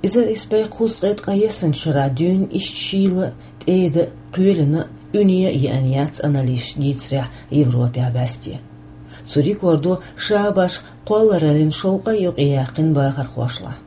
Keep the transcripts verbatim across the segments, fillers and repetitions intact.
Эзар исс бӀе кхузткъе ткъаесанчу шарахь дуьйна иштта шийла а, тӀеда а, кхоьлина а, уьне а еана яц анализашна дийцарехь Европехь бӀаьсте. Цу рекордо ша башха кхоллараллин шовкъа а юкъаяьккхина бахархошлахь.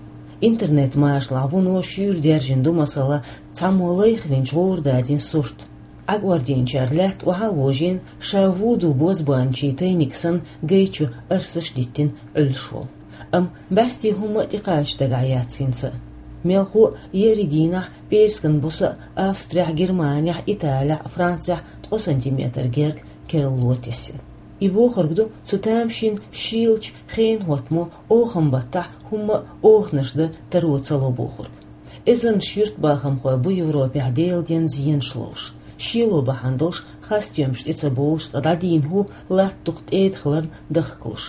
Интернет-машалахь вуно шуьйра даьржина ду, масала, цхьаммо лайхвинчу гӀура дадийна сурт. Ӏакъордийначара лаьтта охьа а вожийна, ша вуду бозбуанчийн тайниг санна гай чу арсаш а диттина Ӏуьллуш волу. Амма бӀаьсте хӀумма а тӀекхача дагахь яц хӀинца а. Мелхо а, еарин дийнахь пӀераскан буса а Австрехь, Германехь, Италехь, Францехь ткъа сантиметр герга керло тесна. И бохург ду, цу тамашийна шийлачу хенан хӀоттамо оханан баттахь хӀумма а оханаш дан таро ца ло бохург. Эзарнаш юьртбахамхой бу Европехь Делан денна зенаш ловш. Шело бахьана долуш, хасстоьмаш тӀе ца бовлуш, ткъа дӀадийна хӀу латта дукха тӀеда хиларна дахкалуш.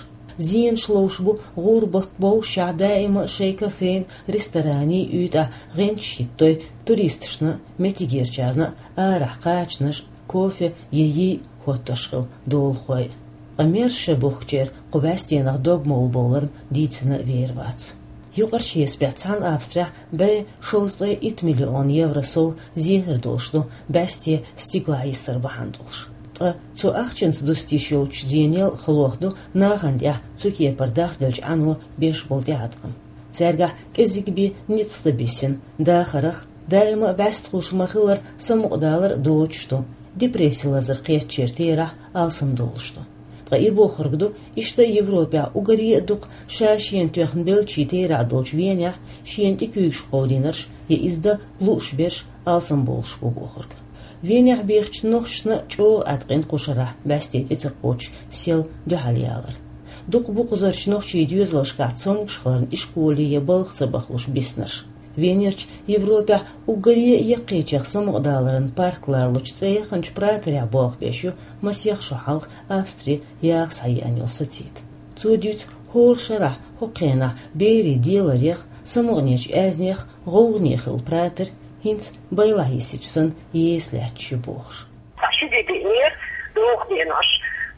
Зенаш ловш бу гӀуран бутт бовшшехь даима а шайн кафенна, ресторанийн уьйтӀахь гӀанташ хӀиттадой туристашна а, меттигерчарна а арахь кхачанаш а, кофе я йий а хӀоттош хилла долахой а. Ткъа мерза шен бухкучеран кху бӀаьстенах дог молла бовларна дийцина вер вац. Юкъарчу хьесапехь цхьана Австрехь бӀе шовзткъе итт миллион евро сов зехар долуш ду бӀаьсте стигалахь йисар бахьана долуш. Ткъа цу ахчанца дуста йиш йолчу зенел а халох ду нахана тӀехь цу кепара дахделлачу Ӏано беш болу тӀеӀаткъам. Цаьргахь кӀезиг бен ницкъ ца бисина, дахарх, даима а бӀаьстехула ма-хиллара самукъадалар а доцуш ду, депресси лазар кхеттачеран терахь алсамдолуш ду. Ткъа и бохург ду, иштта Европехь уггаре а дукха ша-шена тоьхна беллачийн терахь долчу Венехь шена тӀе куьйгаш кховдийнарш я иза дан лууш берш алсамбовлуш бу бохург. Венехь бехачу нохчашна а чӀогӀа Ӏаткъина кху шарахь бӀаьсте тӀе ца кхочуш сел дуьхьал ялар. Дукха бу кхузарчу нохчийн доьзалшкахь цомгуш хиларна ишколе я балха ца бахалуш биснарш. Венерчу Европехь уггаре а яккхийчех самукъадаларан парк лоруш цӀе яханчу праторехь болх беш ю масех шо хьалха Австри яха схьаеана йолу сацита. Цо дуьйцу хӀора шарахь хӀокху хенахь берийн деларех, самукъанечу аьзнех гӀовгӀане хилла пратор хӀинца байлахь йисича санна еса лаьтташ ю бохуш. Ткъа ши де биънера доху денош.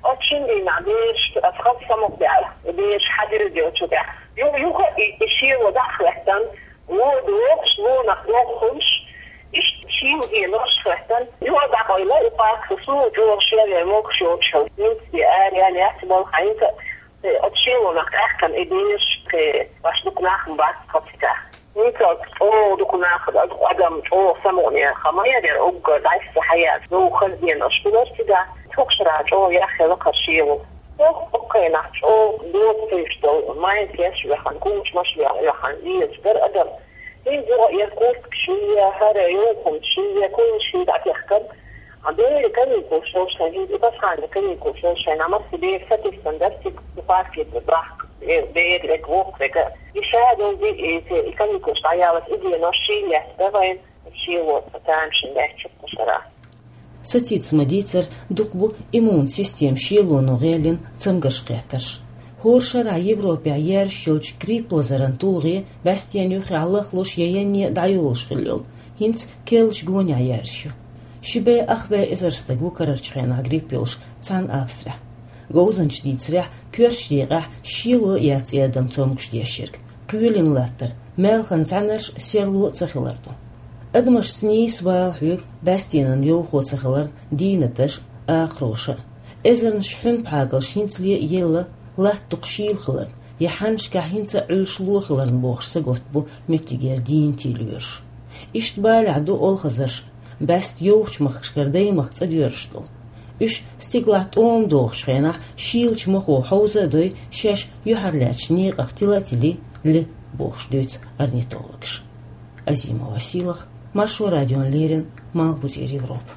Оцу шина дийнахь бераш, аса хаза самукъадеана, бераш хьадирза йолчу тӀехь. Ю-, юха и, и шело дӀа а хӀоьттина, ло дохуш, лонах дохуш, иштта шийла денош хӀоьттина. Юха дӀакъевлира и парк, суна чӀогӀа шен вен могуш йоцуш хилла. ХӀинца де ара яьлла яц балха хьаьнца, э, оцу шелонах тӀаьхкина и бераш, э, баш дукха нах ма бац хаза цигахь. ХӀинца чӀогӀа дукха нах, дукха адам чӀогӀа самукъане хама яра, уггар дӀасса хьаяьлла, ну, хаза денош хилар цигахь, хӀокху шарахь чӀогӀа яхъяла кхара шело. Хьо-, хӀокху хенахь чӀогӀа доцуш долу майкаш а йоьхна, кучамаш а йоьхна, везаш дара адам. ХӀинца юха а яра курткаш ший, хӀара йовхунаш ший, куйнаш ший дӀатехкар. А берийн каникулаш йолуш хенахь, хӀинца и пасхьанийн каникулаш йолуш хенахь, массо а бер сатуьйсина дара цига, цу парке бахка, э, бер верг, воккха верг. И ша долу де, и, и каникулаш дӀаяллалц и денош шийла лаьттина вайн, шело тамашийна лаьтташ ю кху шарахь. Сацита ма-дийццара, дукха бу иммунан система шелоно гӀеллина цамгарш кхеттарш. ХӀора шарахь Европехь яьржаш йолчу грипп лазаран тулгӀе бӀаьстенан юххехь лахлуш я янне а дӀайолуш хилла йолу, хӀинца керлачу гонехь яьржаш ю. Ши бӀе ах бӀе эзар стаг ву карарчу хенахь грипп йолуш цхьана Австрехь. Говзанчаша дийцарехь, коьртачу декъехь шело а яц и адам цомгуш деш ерг. Кхоьлина латтар, маьлхан зӀаьнарш, серло а ца хилар ду. Адамашца нийса бала хьоьгу бӀаьстенан йовхо ца хиларна дийнаташ а, акхароша а. Эзарнаш хьуьнпхьагалш хӀинцале а елла, латта дукха шийла хиларна я хьаннашкахь хӀинца а Ӏуьллуш ло хиларна бохуш сагатта бу меттигера дийна тийлоьруш. Иштта балехь ду олхазарш а, бӀаьста йовхачу махкашкара даймахка цӀа доьрзуш долу. Уьш стигалахь тӀома дохучу хенахь шийлачу махо хьовза а дой, шаьш юьхьарлаьцначу некъах тила а тилий, ле бохуш дуьйцу орнитологаша. Азима Василах, Маршо радиона леррина, Малхбузера Европа.